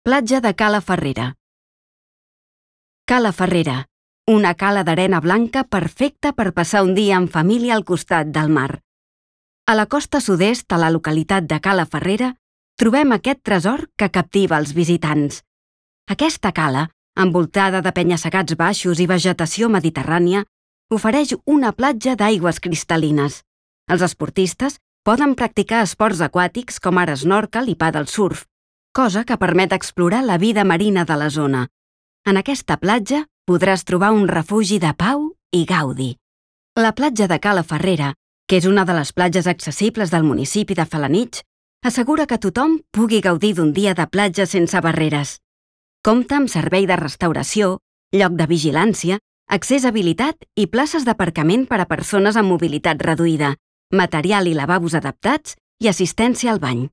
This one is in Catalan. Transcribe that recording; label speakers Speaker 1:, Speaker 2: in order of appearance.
Speaker 1: Platja de Cala Ferrera. Cala Ferrera, una cala d'arena blanca perfecta per passar un dia en família al costat del mar. A la costa sud-est, a la localitat de Cala Ferrera, trobem aquest tresor que captiva els visitants. Aquesta cala, envoltada de penya-segats baixos i vegetació mediterrània, ofereix una platja d'aigües cristal·lines. Els esportistes poden practicar esports aquàtics com ara snorkel i paddle surf, cosa que permet explorar la vida marina de la zona. En aquesta platja podràs trobar un refugi de pau i gaudi. La platja de Cala Ferrera, que és una de les platges accessibles del municipi de Felanitx, assegura que tothom pugui gaudir d'un dia de platja sense barreres. Compta amb servei de restauració, lloc de vigilància, accés habilitat i places d'aparcament per a persones amb mobilitat reduïda, material i lavabos adaptats i assistència al bany.